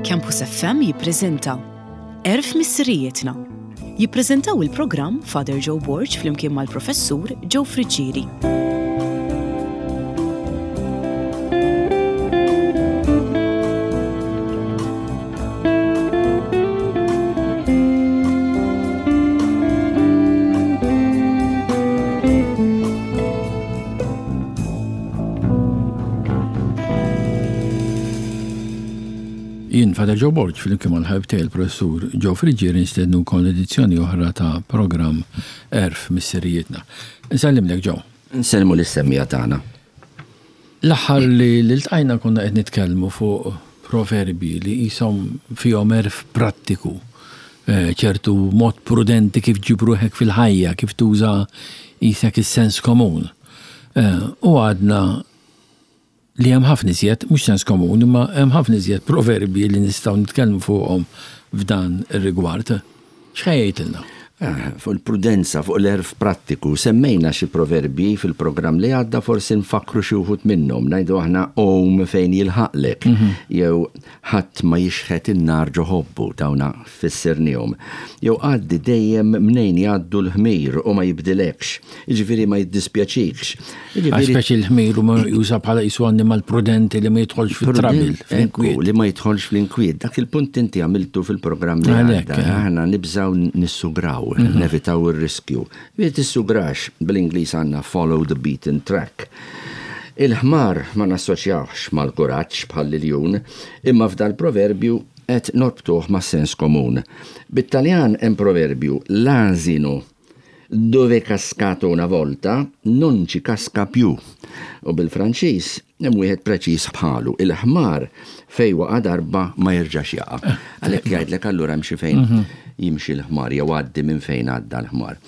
Campus FM jippreżenta Għerf Missirijietna. Jippreżentaw il-programm Father Joe Borg flimkien mal-Professur Joe Friggieri. Jien Father Joe Borg flimkien mal-ħabib tiegħi l-Professur Joe Friggieri nistednukom l-edizzjoni oħra ta' programm Għerf Missirijietna. Nsellimlek Joe. Nsellmu lis-semmiegħa tagħna. L-aħħar li ltqajna konna qed nitkellmu fuq proverbji li qishom fihom għerf prattiku, ċertu mod prudenti kif ġġib ruħek fil-ħajja, kif tuża qisek is-sens komun. U għadna li hemm ħafna iżjed, mhux sens komun, imma hemm ħafna iżjed proverbji li nistgħu nitkellmu fuqhom f'dan ir-rigward. X'ħa jgħidilna? Eh, fuq il-prudenza, fuq l-erf prattiku, semmejna xi proverbji fil-programm li għadda forsi nfakkru xi wħud minnhom, ngħidu aħna għum fejn jilħaqlek, mhm. jew ħadd ma jixħet in-nar ġo ħobbu, dawna fissirnihom. Jew għaddi dejjem mnejn jgħaddu l-ħmir u ma jibdilekx, jiġifieri ma jiddispjaċikx. Jiġifieri Speċi l-ħmir huma meqjusa bħala qisu annimal prudenti li ma jidħolx fit-trouble, fl-inkwiet. Li ma jidħolx fl-inkwiet. Dak il-punt inti għamiltu fil-programm li għadda. Eh. Aħna nibżgħu nissugraw, mhm. nevitaw ir-riskju. Li tissugrax, bl-Ingliż għandna follow the beaten track. Il-ħmar ma nassoċjawhx mal-kuraġġ bħall-iljun, imma f'dal-proverbju qed norbtuh mas-sens komun. Bit-Taljan hemm proverbju, l-asino dove è cascato una volta, non ci casca più. U bil-Franċiż hemm wieħed preċiż bħalu, il-ħmar fejn waqa' darba ma jerġax jaqa'. Eh. Għalhekk jgħidlek allura hemm xi fejn mhm. jimxi l-ħmar jew għaddi minn fejn għadda l-ħmar.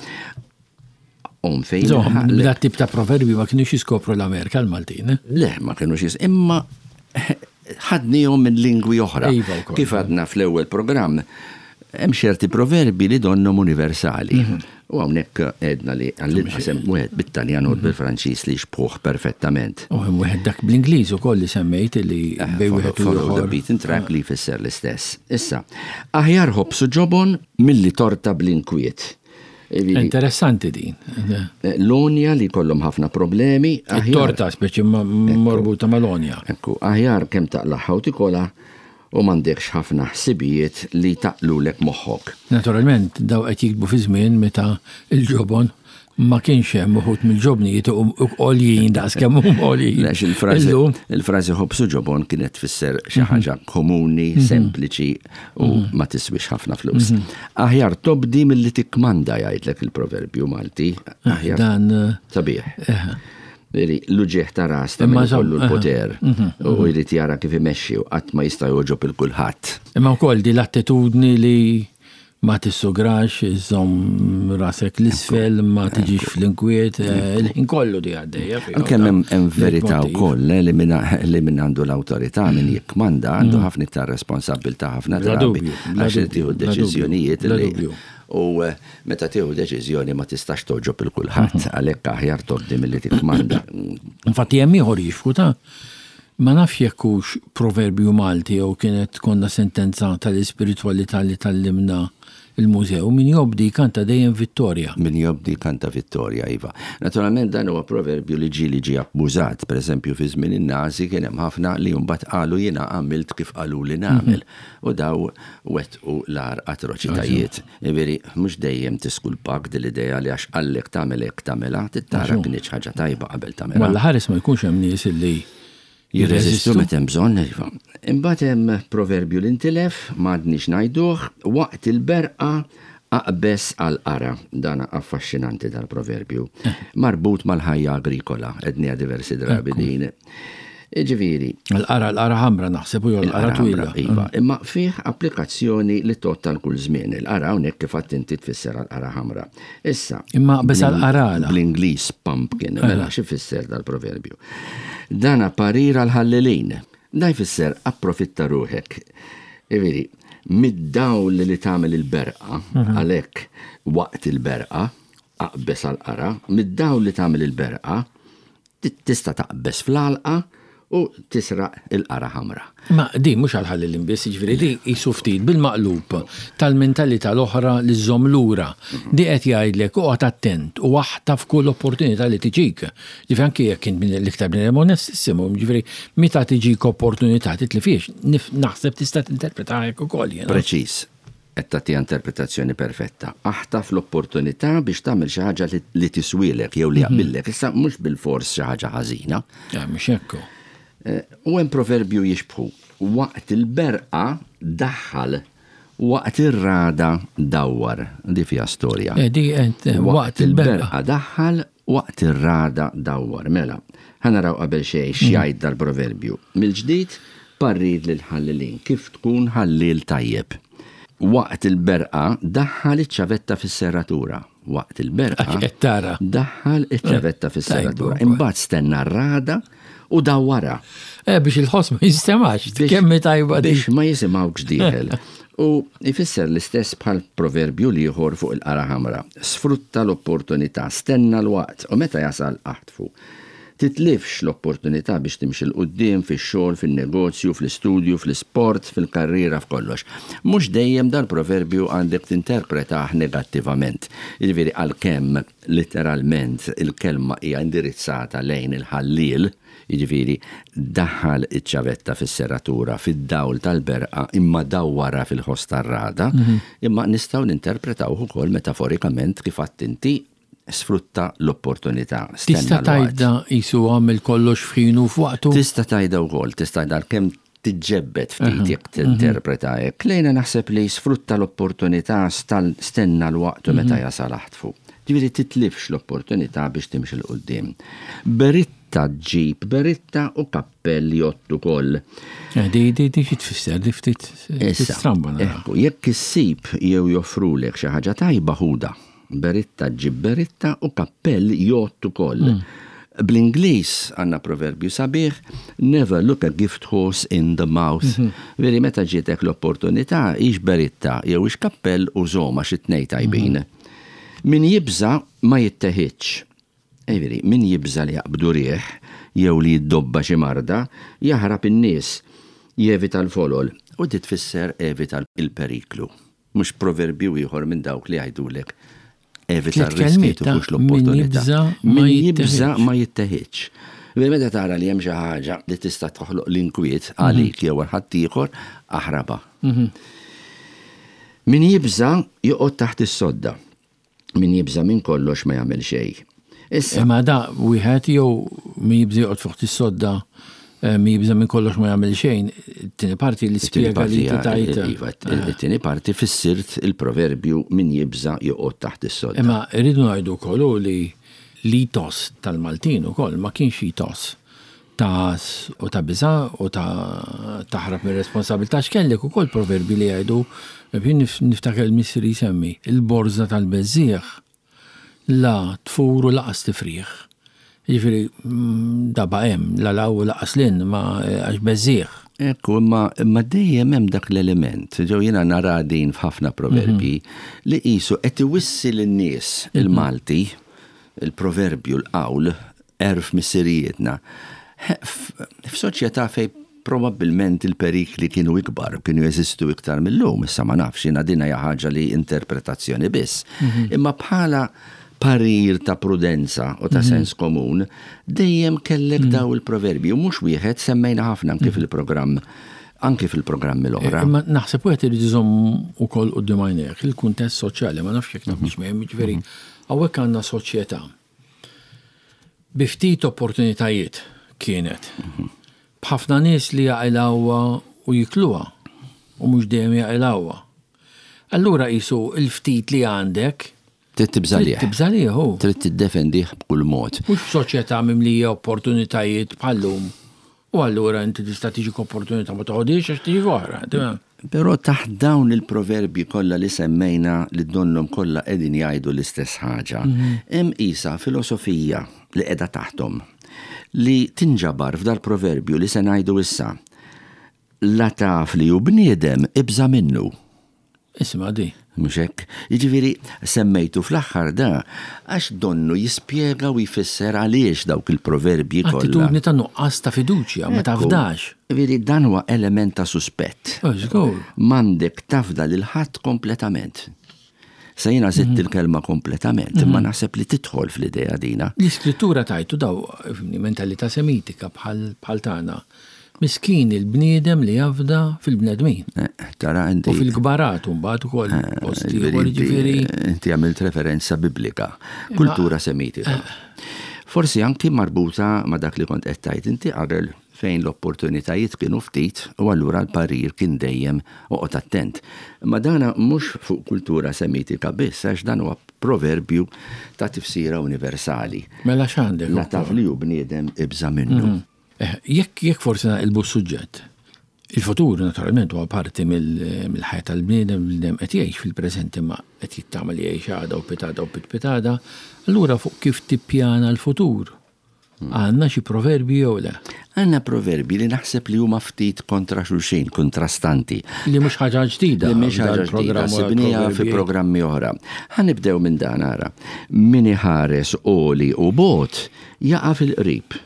Om fejn. Dat tip ta' proverbi ma kienux jiskopru l-Amerika l-Maltin. Eh? Le, ma kienux jis. Imma ħadnihom minn lingwi oħra. Iva Kif għadna fl-ewwel programm, hemm ċerti proverbi li donnhom universali. Mhm. U hawnhekk għedna li għall-inqas hemm wieħed bit-Taljan u mhm. bil-Franċiż li jxbħuh perfettament. U hemm wieħed dak bl-Ingliż ukoll li semmejt li eh, bej wieħed u ieħor. The beaten track li jfisser l-istess. Issa, aħjar ħobsu ġobon milli torta bl-inkwiet. Interessanti din. Eh, l-onja li kollhom ħafna problemi. Torta speċi marbuta mal-onja. Ekku, aħjar kemm taqlaħħa u tikola u m'għandekx ħafna ħsibijiet li taqlulek moħħok. Naturalment, daw qed jiktbu fi żmien meta l-ġobon ma kienx hemm uħud mill-ġobnijiet għoljin daqs kemm huma għoljin. Il-frażi ħobż u ġobon kienet tfisser xi mhm. ħaġa komuni, mhm. sempliċi u mhm. ma tiswix ħafna flus. Aħjar tobdi milli tikkmanda jgħidlek il-proverbju Malti. Eh, aħjar dan eh, sabiħ. Eh. L-uġieħ ta' ras ta' min kollu l-poter u jrid jara kif imexxi u qatt ma jista' jogħġob il kulħadd. Imma wkoll di l-attitudni li Ma tissugrax, iżżomm rasek 'l isfel, ma tiġix fl-inkwiet, il-ħin kollu di għaddejja. Għalkemm hemm verità wkoll eh, li min għandu l-awtorità min jikkmanda għandu mm. ħafna iktar responsabbiltà ħafna drabi għax tieħu deċiżjonijiet li u eh, meta tieħu deċiżjoni ma tistax toġob il kulħadd mhm. għalhekk aħjar tobdi milli tikkmanda. Infatti hemm ieħor jixfku ta' Ma nafx jekk hux proverbju Malti jew kienet konna sentenza tal-ispiritwalità li tgħallimna l-mużew, min jobdi jkanta dejjem vittorja. Min jobdi jkanta vittorja, iva. Naturalment dan huwa proverbju li ġieli ġie abbużat. Per eżempju fi żmien in-Nazi kien hemm ħafna li mbagħad qalu jiena għamilt kif qaluli nagħmel. U daw wettqu l-agħar atroċitajiet. Jiġifieri mhux dejjem tiskulpak din l-idea li għax qallek tagħmel hekk tagħmilha, trid tara kinitx ħaġa tajba qabel tagħmilha. Walla ħares ma jkunx hemm nies li jirreżistu meta hemm bżonn, iva. Imbagħad hemm proverbju li ntilef, m'għadniex ngħiduh, waqt il-berqa aqbeż għall-qara. Dan affaxxinanti dal-proverbju. Eh. Marbut mal-ħajja agrikola, għedniha diversi drabi din. Jiġifieri. L-qara, l-qara ħamra naħseb u jew l-qara twila. Iva, mm. imma fih applikazzjoni li tgħodd għal kull żmien. Il-qara hawnhekk kif għadt inti tfisser għall-qara ħamra. Issa. Imma biss għall-qara għala. Bl-Ingliż pumpkin, mela xi fisser dal-proverbju. Dana parir għall-ħallelin. Da jfisser approfitta ruħek. Jiġifieri, mid-dawl li tagħmel il-berqa, mhm. għalhekk waqt il-berqa, aqbeż għall-qara, mid-dawl li tagħmel il-berqa, Tista' taqbeż fl-għalqa u tisraq il-qara ħamra. Ma di mhux għall-ħallelin biss, jiġifieri di qisu ftit bil-maqlub tal-mentalità l-oħra li żżomm lura. Di qed jgħidlek oqgħod attent u aħtaf kull opportunità li tiġik. Jiġifieri anki jekk int l-iktar bniedem onestissimu, jiġifieri meta tiġik opportunità titlifhiex. Naħseb tista' tinterpretaha hekk ukoll jiena. Preċiż. Qed tagħtiha interpretazzjoni perfetta. Aħtaf l-opportunità biex tagħmel xi ħaġa li tiswielek jew li jaqbillek. Issa mhux bilfors xi ħaġa ħażina. Eh, mhux hekk. Eh, u hemm proverbju jixbħu. Waqt il-berqa daħħal, waqt ir-rada dawwar. Di fiha storja. Eh, di waqt il-berqa daħħal, Waqt ir-ragħda dawwar. Mela, ħa naraw qabel xejn x'jgħid dal-proverbju. Mill-ġdid, parrir lill-ħallelin, kif tkun ħalliel tajjeb. Waqt il-berqa daħħal iċ-ċavetta fis-serratura. Waqt il-berqa. Għax qed tara. Daħħal iċ-ċavetta fis-serratura. Imbagħad stenna r-ragħda u dawwarha. Eh, biex il-ħoss ma jistemax, kemm tajba Biex ma jisimgħukx dieħel. U jfisser l-istess bħal proverbju l-ieħor fuq il-qara ħamra. Sfrutta l-opportunità, stenna l-waqt u meta jasal aħtfu. Titlifx l-opportunità biex timxi 'l quddiem fix-xogħol, fin-negozju, fl-istudju, fl-isport, fil-karriera, f'kollox. Mhux dejjem dal-proverbju għandek tinterpretah negattivament. Jiġifieri għalkemm Litteralment, il-kelma hija indirizzata lejn il-ħalliel, jiġifieri, daħħal iċ-ċavetta fis-serratura fid-dawl tal-berqa imma dawwarha fil-ħoss tar-ragħda, imma nistgħu ninterpretawh ukoll metaforikament kif għedt inti, sfrutta l-opportunità, stenna Tista' l-waqt. tgħidha qisu għamel kollox f'ħinu u f'waqtu? Tista' tgħidha wkoll, tista' tgħidha għalkemm tiġġebbed ftit jekk tinterpreta hekk. Lejna naħseb li sfrutta l-opportunità stenna l-waqt u meta jasal aħtfu. Ġifieri titlifx l-opportunità biex timxi 'l quddiem. Beritta ġġib beritta u kappell jgħodd ukoll. Eh, di di di xi tfisser di ftit stramba nara. Ekku, jekk issib jew joffrulek xi ħaġa tajba ħudha. Beritta ġġib beritta u kappell jgħodd ukoll. Bl-Ingliż għandna proverbju sabiħ, never look a gift horse in the mouth. Veri meta ġietek l-opportunità, hix beritta jew hix kappell użhom għax it-tnejn tajbin. Min jibża' ma jitteħidx. Jiġifieri, min jibża' li jaqbdu riħ jew li jiddobba xi marda, jaħrab in-nies, jevita l-folol. U di tfisser evita l-periklu. Mhux proverbju ieħor minn dawk li jgħidulek evita r-riskju tieħux l-opportunità. Min jibża' ma jitteħidx. Meta tara li hemm xi ħaġa li tista' toħloq l-inkwiet għalik jew għal ħaddieħor, aħrabha. Min jibża' joqgħod taħt is-sodda. Min jibża' minn kollox ma jagħmel xejn. Issa. Imma da wieħed jew min jibża' joqgħod fuq is-sodda, eh, min jibża' minn kollox ma jagħmel xejn, it-tieni parti li spjega li tajt. Iva, it-tieni parti fissirt il-proverbju min jibża' joqgħod taħt is-sodda. Imma rridu ngħidu wkoll li l-itos tal-Maltin ukoll ma kienx itos ta' u ta' biża' u ta' taħrab mir-responsabilità x'kellek ukoll proverbi li jgħidu, jien niftakar il-missieri jsemmi, il-borża tal-beżżiegħ la tfur u laqas tifrieħ. Jiġifieri da baqa' hemm, la 'l hawn u laqas 'l hinn ma għax beżżiegħ. Ekku, imma imma dejjem hemm dak l-element, ġew jiena nara din f'ħafna proverbji, li qisu qed iwissi lin-nies il-Malti, il-proverbju, l-qawl, għerf missirijietna. F'soċjetà fejn probabbilment il-perikli kienu ikbar, kienu jeżistu iktar mil-lum, issa ma nafx, jiena din hija ħaġa li interpretazzjoni biss. Imma bħala parir ta' prudenza u ta' sens komun, dejjem kellek daw il-proverbji, u mhux wieħed semmejna ħafna anki fil-programm anki fil-programmi l-oħra. Imma naħseb wieħed irid iżomm ukoll quddiem għajnejh il-kuntest soċjali, ma nafx jekk tafx miegħi, jiġifieri hawnhekk għandna soċjetà Bi ftit opportunitajiet kienet. B'ħafna nies li jaqilgħuha u jikluha u mhux dejjem jaqilgħuha. Allura qisu l-ftit li għandek Trid tibża' lih. Trid tibża' lih hu. Trid tiddefendih b'kull mod. Mhux f'soċjetà mimlija opportunitajiet bħal-lum U allura inti tista' tiġik opportunità ma toħodhiex għax tiġik oħra. Però taħt dawn il-proverbji kollha li semmejna li donnhom kollha qegħdin jgħidu l-istess ħaġa, hemm qisha filosofija li qiegħda taħthom li tinġabar f'dal-proverbju li se ngħidu issa, La taf li hu bniedem, ibża' minnu. Isma' di. Mhux hekk? Jiġifieri semmejtu fl-aħħar da għax donnu jispjega u jfisser għaliex dawk il-proverbji kollha. Attitudni ta' nuqqas ta' fiduċja, ma tafdax. Jiġifieri dan huwa element ta' suspett. Oh, żgur. M'għandek tafda lil ħadd kompletament. Sa jiena żidt mhm. il-kelma kompletament, imma mhm. naħseb li tidħol fl-idea dina. L-iskrittura tajtu daw mentalità semitika bħal tagħna. Miskin il-bniedem li jafda fil-bnedmin. Eh, tara inti. U fil-kbarat mbagħad ukoll eh, post ieħor jiġifieri. Inti għamilt referenza biblika, kultura semitika. Eh. Forsi anki marbuta ma' dak li kont qed tgħid inti qabel fejn l-opportunitajiet kienu ftit u allura l-parir kien dejjem oqgħod attent. Imma dana mhux fuq kultura semitika biss għax dan huwa proverbju ta' tifsira universali. Mela x'għandek? La taf li hu bniedem ibża' minnu. Mhm. Eh, jekk jekk forsi naqilbu s-suġġett. Il-futur naturalment huwa parti mill-ħajja tal-bniedem, bniedem qed jgħix fil-preżent imma qed jittama li jgħix għada u pitada u pitpitada, allura fuq kif tippjana l-futur. Għandna xi proverbji jew le? Għandna proverbji li naħseb li huma ftit kontra xulxin, kontrastanti. Li mhux ħaġa ġdida. Li mhix ħaġa ġdida, sibniha fi programmi oħra. Ħa nibdew minn dan ara. Min iħares għoli u bogħod jaqa' fil-qrib.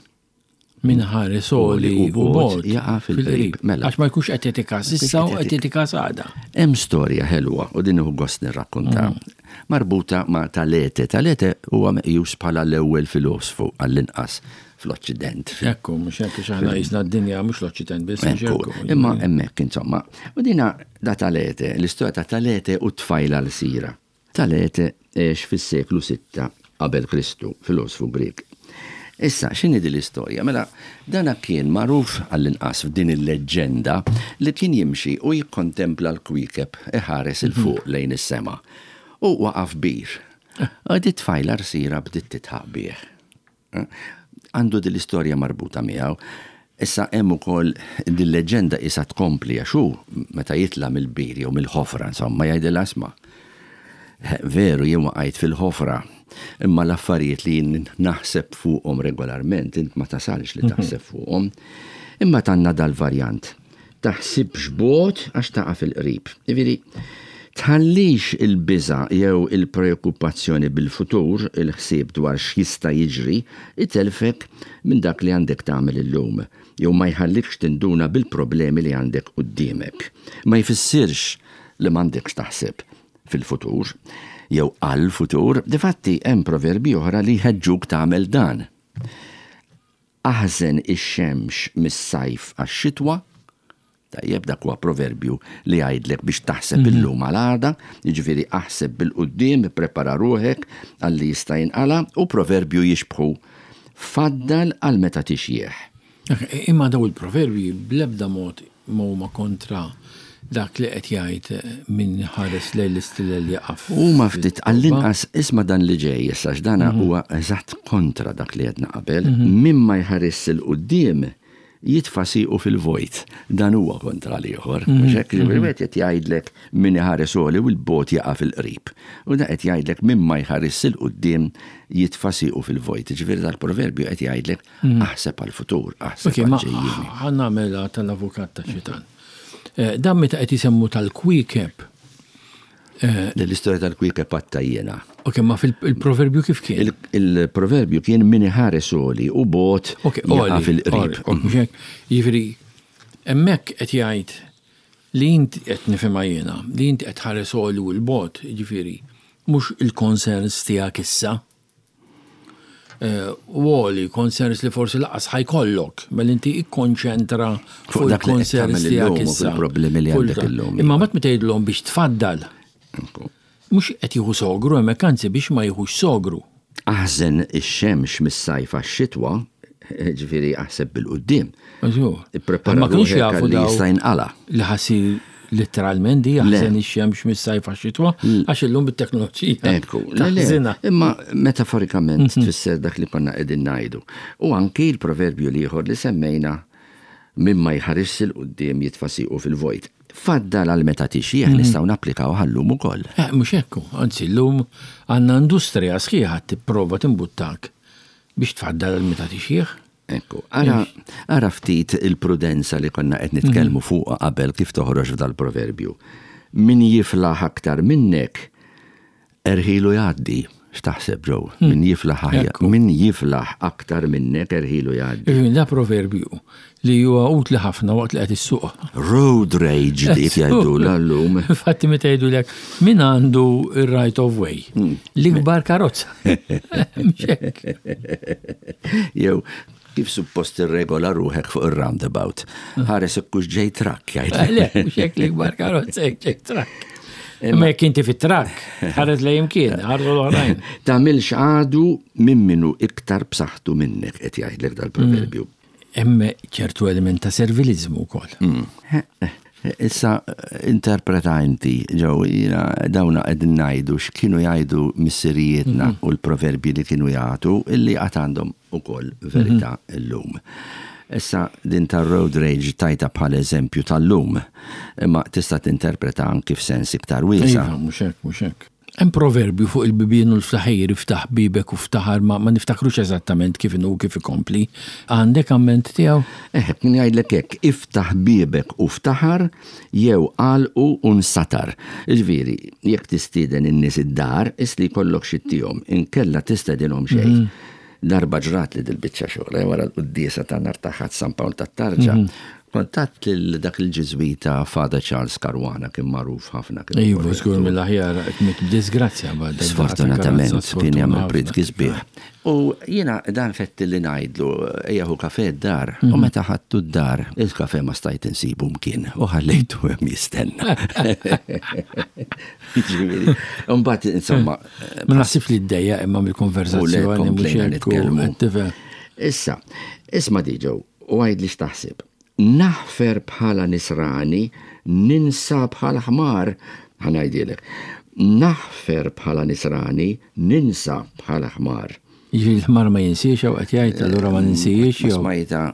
Min iħares għoli u bogħod jaqa' fil-qrib. Mela. Għax ma jkunx qed jagħti kas issa u qed jagħti kas għada. Hemm storja ħelwa u din nieħu gost nirrakkonta. Mm. Marbuta ma' Talete. Talete huwa meqjus bħala l-ewwel filosfu għall-inqas fl-Oċċident. Ekku, mhux hekk għax aħna qisna d-dinja mhux l-Oċċident biss. Ekku, imma hemmhekk insomma. U dina da Talete, l-istorja ta' Talete u t-tfajla l-sira. Talete għex fis-seklu sitta qabel Kristu, filosfu Grieg. Issa, x'inhi din l-istorja? Mela, dana kien magħruf, għall-inqas f'din il-leġġenda, li kien jimxi u jikkontempla l-kwiekeb iħares 'il fuq lejn is-sema. U waqa' f'bir. U di tfajla rsira bdiet tidħaq bih. Għandu din l-istorja marbuta miegħu. Issa hemm ukoll din leġġenda qisha tkompli għax hu meta jitla' mill-bir jew mill-ħofra insomma jgħidilha isma' veru jien waqajt fil-ħofra imma l-affarijiet li jien naħseb fuqhom regolarment int ma tasalx li taħseb fuqhom. Imma għandna dal-varjant. Taħsibx bogħod għax taqa' fil-qrib. Jiġifieri, tħallix il-biża' jew il-preokkupazzjoni bil-futur, il-ħsieb dwar x'jista' jiġri, itellfek minn dak li għandek tagħmel illum, jew ma jħallikx tinduna bil-problemi li għandek quddiemek. Ma jfissirx li m'għandekx taħseb fil-futur, jew għall-futur, difatti hemm proverbji oħra li jħeġġuk tagħmel dan. Aħżen ix-xemx mis-sajf għax-xitwa, tajjeb dak huwa proverbju li jgħidlek biex taħseb mhm. illum għal għada, jiġifieri aħseb bil-quddiem, ipprepara ruħek għal li jista' jinqala' u proverbju jixbħu faddal għal meta tixjieħ. Imma daw il-proverbji bl-ebda mod ma huma kontra dak li qed jgħid min iħares lejn l-istilel jaqa' f'. Huma ftit għall-inqas isma' dan li ġej issa għax dan huwa eżatt kontra dak li għedna qabel, min ma jħarisx 'il quddiem jitfa' siequ fil-vojt. Dan huwa kontra l-ieħor. Mhux hekk? Jiġifieri wieħed qed jgħidlek min iħares għoli u 'l bogħod jaqa' fil-qrib. U dan qed jgħidlek min ma jħarisx 'il quddiem jitfa' siequ fil-vojt. Jiġifieri dal-proverbju qed jgħidlek Aħseb għall-futur, aħseb għall-ġejjieni. Ħa nagħmilha tal-avukat tax-xitan. Eh, dan meta qed isemmu tal-kwiekeb. Eh, L-istorja tal-kwiekeb għatta jiena. Ok, ma fil-proverbju kif kien? Il-proverbju kien min iħares għoli u bot jaqa' fil-qrib. Jiġifieri, hemmhekk qed jgħid li inti qed nifhimha jiena, li inti qed tħares għoli u l-bot, jiġifieri, mhux il-concerns tiegħek issa. U għoli, concerns li forsi laqas ħajkollok, mela inti ikkonċentra fuq dak li qed il-concerns tagħmel tiegħek illum u issa. fil-problemi li Fuq għandek il- illum. Imma mbagħad meta jgħidilhom biex tfaddal, mhux qed jieħu sogru hemmhekk anzi biex ma jieħux sogru. Aħżen ix-xemx mis-sajf għax-xitwa, ġifieri aħseb bil-quddiem. Żgur. Ipprepara Ma kinux ruħek jafu għal li daw jista' jinqala'. li ħasir Litteralment di jaħżen ix-xemx mis-sajf għax-xitwa għax illum bit-teknoloġija. Ekku, le, imma metaforikament mhm. tfisser dak li konna qegħdin ngħidu. U anki l-proverbju l-ieħor li semmejna minn ma jħares il quddiem jitfa' siequ fil-vojt. Faddal għal meta tixjieħ mhm. nistgħu napplikaw ħallum ukoll. Eh, mhux hekk, anzi llum għandna industrija sħiħa tipprova timbuttak biex tfaddal għal meta tixjieħ. Ekku, ara, ara ftit il-prudenza li konna qed nitkellmu mhm. fuqha qabel kif toħroġ f'dal-proverbju. Min jiflaħ aktar minnek, erħilu jgħaddi. X'taħseb Joe? Min jiflaħ aħjar, min jiflaħ aktar minnek erħilu jgħaddi. Jiġifieri da proverbju li huwa utli ħafna waqt li qed issuq. Road rage dik jgħidulha llum. Infatti meta jgħidulek min għandu r-right of way? L-ikbar karozza. Mhux hekk. Jew kif suppost tirregola ruħek fuq ir-roundabout. Ħares ikkux ġej trakk jgħid. Le, mhux hekk l-ikbar karozza jekk ġej trakk. Imma jekk inti fit-trakk, ħares lejn imkien, ħarsu l-oħrajn. Tagħmilx għadu minn minu iktar b'saħħtu minnek qed jgħidlek dal-proverbju. Hemm ċertu element ta' servilizmu wkoll. Issa interpreta inti, ġew, jiena dawna qegħdin ngħidu x'kienu jgħidu missirijietna u l-proverbji li kienu jagħtu illi għad għandhom ukoll verità llum. Issa din tar-road rage tajtha bħala eżempju tal-lum, imma tista' tinterpreta anki f'sens iktar wiesa'. Iva, mhux hekk, mhux hekk. Hemm proverbju fuq il-bibien u l-ftaħir, iftaħ biebek u ftaħar, ma ma niftakrux eżattament kif inhu u kif ikompli. Għandek amment tiegħu? Eħe, kien jgħidlek hekk, iftaħ biebek u ftaħar jew agħlqu u nsatar. Jiġifieri, jekk tistieden in-nies id-dar, qis li jkollok xi ttihom, inkella tistedinhom xejn. Darba ġratli dil-biċċa xogħol, wara l-quddiesa ta' nhar ta' Ħadd San Pawl tat-Tarġa, kont għadt lil dak il-Ġiżwita Father Charles Caruana kien magħruf ħafna. Iva, żgur mill-aħjar qed miet b'disgrazzja b'għad Sfortunatament kien jagħmel prietki sbieħ. U jiena dan fetti li ngħidlu ejja ħu kafè d-dar. U meta ħadtu d-dar, il-kafè ma stajt insibu mkien u ħallejtu hemm jistenna. Jiġifieri, imbagħad insomma. Ma naħsibx li ddejjaq imma mill-konversazzjoni mhux hekk. Issa, isma' Diġo, u għidli x'taħseb. Naħfer bħala nisrani, ninsa bħal ħmar, ħa ngħidilek. Naħfer bħala nisrani, ninsa bħala ħmar. Jiġifieri l-ħmar ma jinsiex jew qed jgħid allura ma ninsiex jew. Smajta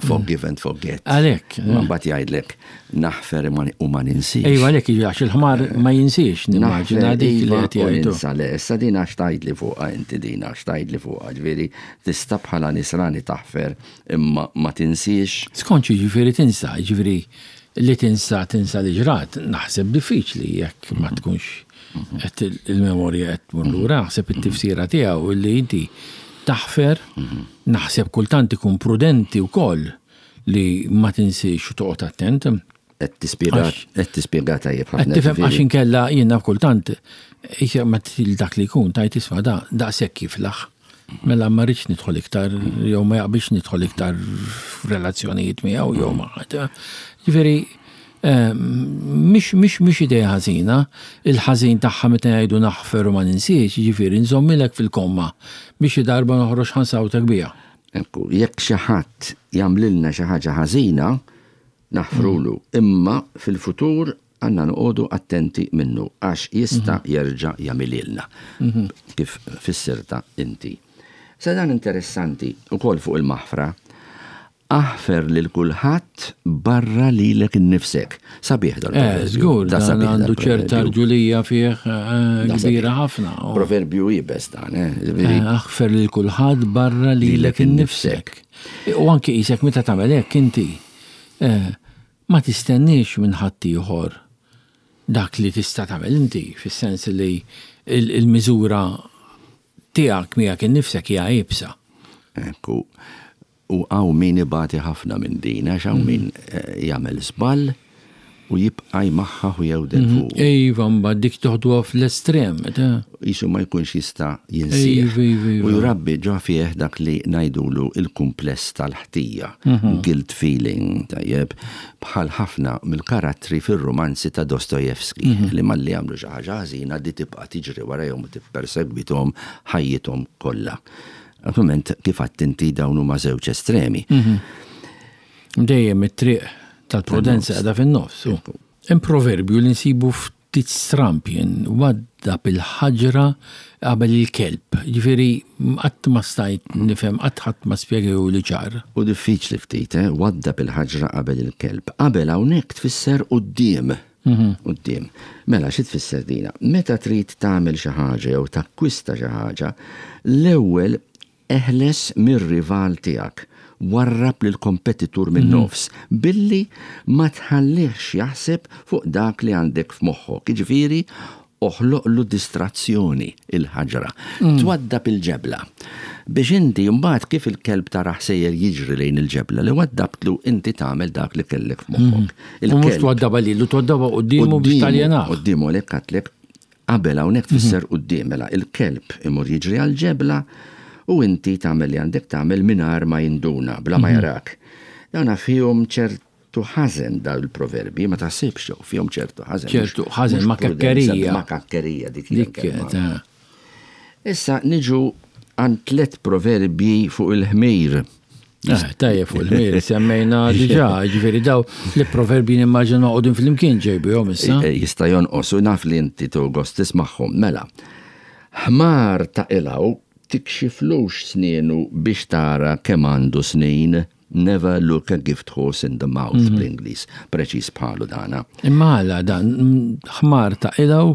forgive and forget. Għalhekk. Ma mbagħad jgħidlek naħfer u ma ninsiex. Ejwa għalhekk jiġi għax il-ħmar ma jinsiex nimmaġina dik li qed jgħidu. Ninsa le, issa din għax tgħidli fuqha inti din għax tgħidli fuqha, ġifieri tista' bħala nisrani taħfer imma ma tinsiex. Skont jiġifieri tinsa, jiġifieri li tinsa tinsa li ġrat, naħseb diffiċli jekk ma tkunx qed il-memorja qed tmur lura, naħseb it-tifsira tiegħu li inti taħfer, naħseb kultant ikun prudenti wkoll li ma tinsiex u toqgħod attent. Qed tispjega qed tispjega tajjeb ħafna. Qed tifhem għax inkella jiena kultant ma til dak li jkun tajt isma' da daqshekk jiflaħ. Mela ma rridx nidħol iktar jew ma jaqbilx nidħol iktar f'relazzjonijiet miegħu jew ma' ħadd. Ġifieri mhix mhix mhix idea ħażina, il-ħażin tagħha meta jgħidu naħfer u ma ninsiex, jiġifieri nżommilek fil-komma biex xi darba noħroġ ħa nsawtek biha. Ekku, jekk xi ħadd jagħmlilna xi ħaġa ħażina, naħfrulu, imma fil-futur għandna noqogħdu attenti minnu għax jista' jerġa' jagħmilhielna, kif fissirtha inti. Sa dan interessanti wkoll fuq il-maħfra, Aħfer lil kulħadd barra lilek innifsek. Sabiħ dal-proverbju. Eh, żgur, dan għandu ċerta rġulija fih eh, kbira ħafna. Proverbju iebes dan, eh. eh aħfer lil kulħadd barra lilek innifsek. U anki qisek meta tagħmel hekk inti eh, ma tistenniex minn ħaddieħor dak li tista' tagħmel inti, fis-sens li il-miżura tiegħek miegħek innifsek hija iebsa. Ekku. U hawn min ibati ħafna minn din, għax hawn min jagħmel żball u jibqa' jmaħħaħ u jewden fuqu. Iva, mbagħad dik toħduha fl-estrem. Qisu ma jkunx jista' jinsih. Iva, iva, iva. U jrabbi ġo fih dak li ngħidulu l-kumpless tal-ħtija, guilt feeling, tajjeb, bħal ħafna mill-karattri fir-rumanzi ta' Dostoevsky, li malli jagħmlu xi ħaġa ħażina di tibqa' tiġri warajhom u tippersegwithom ħajjithom kollha. Naturalment, kif għedt inti dawn huma żewġ estremi. Mhm. Dejjem it-triq tal-prudenza qiegħda fin-nofs. Hemm proverbju li nsibu ftit stramp jien waddab il-ħaġra qabel il-kelb. Ġifieri qatt ma stajt nifhem qatt ħadd ma spjegahu li ċar. U diffiċli ftit, eh? Waddab il-ħaġra qabel il-kelb. Qabel hawnhekk tfisser quddiem. Quddiem. Mela, xi tfisser dina? Meta trid tagħmel xi ħaġa jew takkwista xi ħaġa, l-ewwel eħles mir-rival tiegħek. Warrab lill-kompetitur min-nofs billi ma tħallihx jaħseb fuq dak li għandek f'moħħok. Jiġifieri, oħloqlu distrazzjoni, il-ħaġra. Twaddab il-ġebla. Biex inti mbagħad kif il-kelb tarah sejjer jiġri lejn il-ġebla li waddabtlu inti tagħmel dak li kellek f'moħħok. U mhux twaddabha lilu, twaddabha quddiemu biex taljenah. Quddiemu għalhekk għedtlek qabel hawnhekk tfisser quddiem mela il-kelb imur jiġri għall-ġebla u inti tagħmel li għandek tagħmel mingħajr ma jinduna, bla ma jarak. Dawn fihom ċert ċertu ħażen dawn il-proverbji, ma taħsibx jew fihom ċertu ħażen. Ċertu ħażen ma' kakkerija. Ma' kakkerija dik dik. Issa niġu għand tlet proverbji fuq il-ħmir. Eh, tajjeb fuq il-ħmir, semmejna diġà, ġifieri daw li proverbji nimmaġina noqogħdu flimkien ġejbihom issa. Eh, jista' jonqos u naf li inti togos tismagħhom. Mela, ħmar ta' ilaw tikxiflux snienu biex tara kemm għandu snin. Never look a gift horse in the mouth bl-Ingliż, preċiż bħalu dana. Imma għala dan, ħmar ta' ilgħu?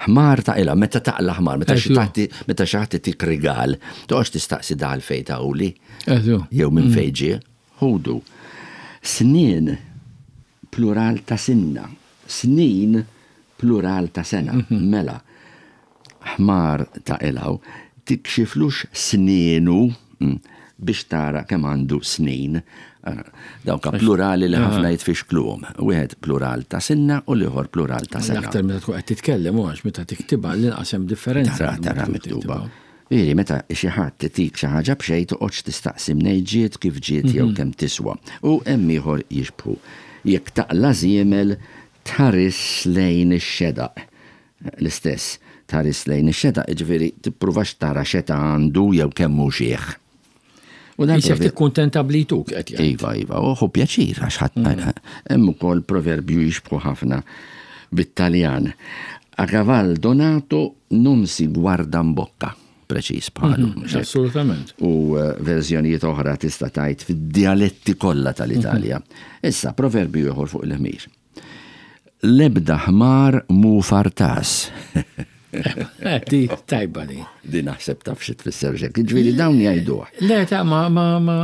Ħmar ta' ilgħu, meta taqla' ħmar, meta xi ħadd meta xi ħadd itik rigal, toqgħodx tistaqsi da għalfejn tahuli. Jew minn fejn ġie. Ħudu. Snien plural ta' sinna. Snin plural ta' sena. Mela, ħmar ta' ilgħu, tikxiflux snienu biex tara kemm għandu snin. Dawk plurali li ħafna jitfixkluhom. Wieħed plural ta' sinna u l-ieħor plural ta' sena. L-aktar meta tkun qed titkellem u għax meta tiktibha l-inqas hemm differenza. Tara, tara miktuba. Jiġifieri meta xi ħadd itik xi ħaġa b'xejn toqgħodx tistaqsi mnejn ġiet, kif ġiet jew kemm tiswa. U hemm ieħor jixbħu. Jekk taqla' żiemel tħarisx lejn ix-xedaq. L-istess, tħares lejn ix-xedaq, jiġifieri tippruvax tara x'età għandu jew kemm hu xiħ. U dan Isek tikkuntenta bli jtuk qed jgħid. Iva, iva, u ħu pjaċir għax ħadd mm. hemm ukoll proverbju jixbħu ħafna bit-Taljan. A caval donato non si guarda in bocca preċiż bħalu. Mhm, assolutament. U eh, verżjonijiet oħra tista' tgħid fid-dialetti kollha tal-Italja. Mhm. Issa, proverbju ieħor fuq il-ħmir. L-ebda ħmar mhu fartas. Eh, di tajba di. Di naħseb taf xi tfisser xek. Ġifieri dawn jgħiduh. Le ta' ma ma ma.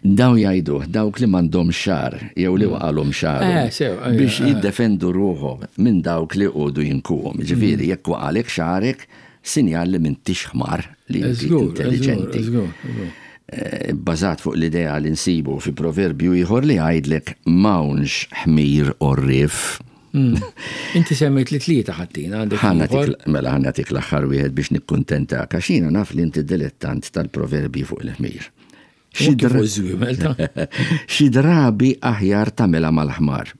Dawn jgħiduh dawk li m'għandhom xar jew li waqalhom xar. Eh, sew, eh, biex jiddefendu ruħhom minn dawk li qogħdu jinkuhom. Ġifieri jekk waqalek xarek, Sinjal li m'intix ħmar, li inti intelliġenti. Eh, bbażat fuq l-idea li nsibu fi proverbju ieħor li jgħidlek m'hawnx ħmir għorrief. Hmm. Inti semmejt li tlieta ħattina għandek. Mela ħa nagħtik l-aħħar wieħed biex nikkuntentak għax jiena naf li inti dilettant tal-proverbji fuq il-ħmir. Xi drabi aħjar tagħmilha mal-ħmar.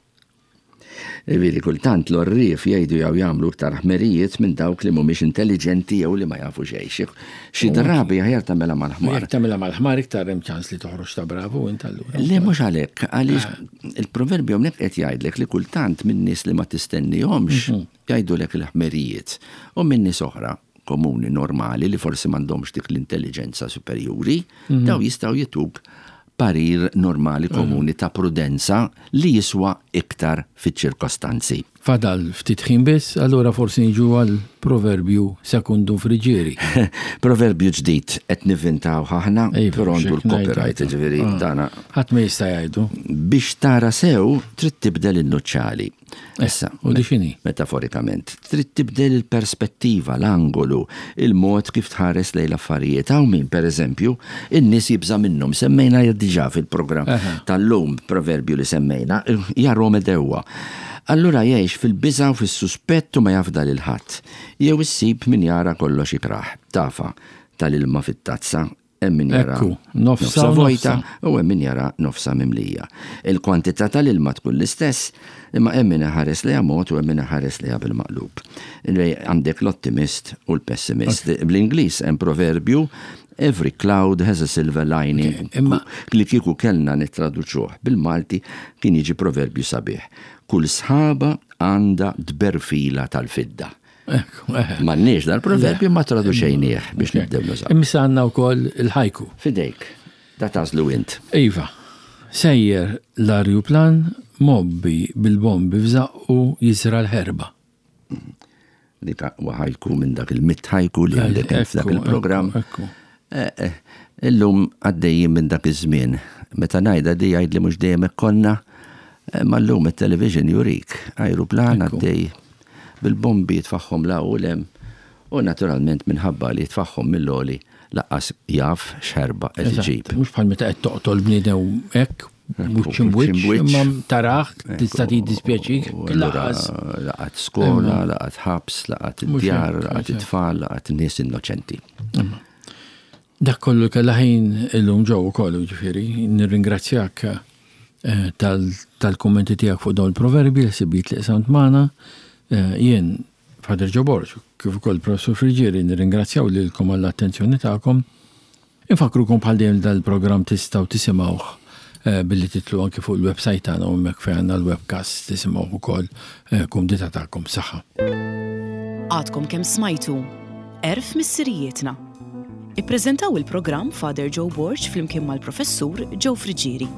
Jiġifieri kultant l-għorrief jgħidu jew jagħmlu iktar ħmerijiet minn dawk li mhumiex intelliġenti jew li ma jafu xejn. Xi drabi aħjar tagħmilha mal-ħmar. Jekk tagħmilha mal-ħmar iktar hemm ċans li toħroġ ta' bravu int allura. Le mhux għalhekk, għaliex ah. il-proverbju hawnhekk qed jgħidlek li kultant minn nies li ma tistennihomx mhm. jgħidulek il-ħmerijiet u minn nies oħra komuni normali li forsi m'għandhomx dik l-intelliġenza superjuri, mhm. daw jistgħu jituk parir normali mhm. komuni ta' prudenza li jiswa iktar fiċ-ċirkostanzi. Fadal ftit ħin biss, allura forsi niġu għal proverbju sekundu friġieri. Proverbju ġdid qed nivvintaw aħna, iva, però għandu l-copyright, ġifieri ah. dana. Ħadd ma jista' jgħidu. Biex tara sew trid tibdel in-nuċċali. Eh, Issa, u di x'inhi? Metaforikament, trid tibdel il-perspettiva, l-angolu, il-mod kif tħares lejn l-affarijiet. Hawn min, per eżempju, in-nies jibża' minnhom. Semmejna diġà fil-programm tal-lum proverbju li semmejna, jarhom għedewwa. Allura jgħix fil-biża' u fis-suspett u ma jafda lil ħadd. Jew issib min jara kollox ikrah. Tafa tal-ilma fit-tazza, Hemm min jara nofsa vojta u hemm min jara nofsa mimlija. Il-kwantità tal-ilma tkun l-istess, imma hemm min iħares lejha mod u hemm min iħares lejha bil-maqlub. Għandek l-ottimist u l-pessimist. Bl-Ingliż hemm proverbju Every cloud has a silver lining. Imma li kieku kellna nittraduċuh bil-Malti kien jiġi proverbju sabiħ. Kull sħaba għandha tberfila tal-fidda. M'għandniex dal-proverbju ma traduċejnieh biex nibdew nużaw. Imma għandna wkoll il-ħajku. Fidejk, da tażlu int. Iva, sejjer l-arjuplan mgħobbi bil-bombi f'żaqqu jiżra' l-ħerba. Dik huwa ħajku minn dak il-mitt ħajku li għandek f'dak il-programm. Eh, eh, Illum għaddejjin minn dak iż-żmien. Meta ngħidha di jgħidli mhux dejjem hekk konna, imma llum it-television jurik ajruplan għaddej bil-bombi jitfagħhom 'l hawn u 'l hemm u naturalment minħabba li jitfagħhom mill-għoli lanqas jaf x'ħerba qed iġib. Mhux bħal meta qed toqtol bniedem hekk wiċċ imb'wiċċ, imma tarah tista' jiddispjaċik lanqas. Laqat skola, laqat ħabs, laqat id-djar, laqat it-tfal, laqat nies innoċenti. Dak kollu kellha ħin illum Joe ukoll, jiġifieri nirringrazzjak tal-kummenti tiegħek fuq dawn il-proverbi, l-ħsibijiet li qsamt magħna. Jien, Father Joe Borg, kif ukoll Professur Friggieri nirringrazzjaw lilkom għall-attenzjoni tagħkom. Infakkrukom bħal dejjem li dan il-programm tistgħu tisimgħuh billi titlu anki fuq il-website tagħna u hemmhekk fejn għandna l-webcast tisimgħuh ukoll kumdità tagħkom. Saħħa. Għadkom kemm smajtu Għerf Missirijietna. Ippreżentaw il-programm Father Joe Borg flimkien mal-Professur Joe Friggieri.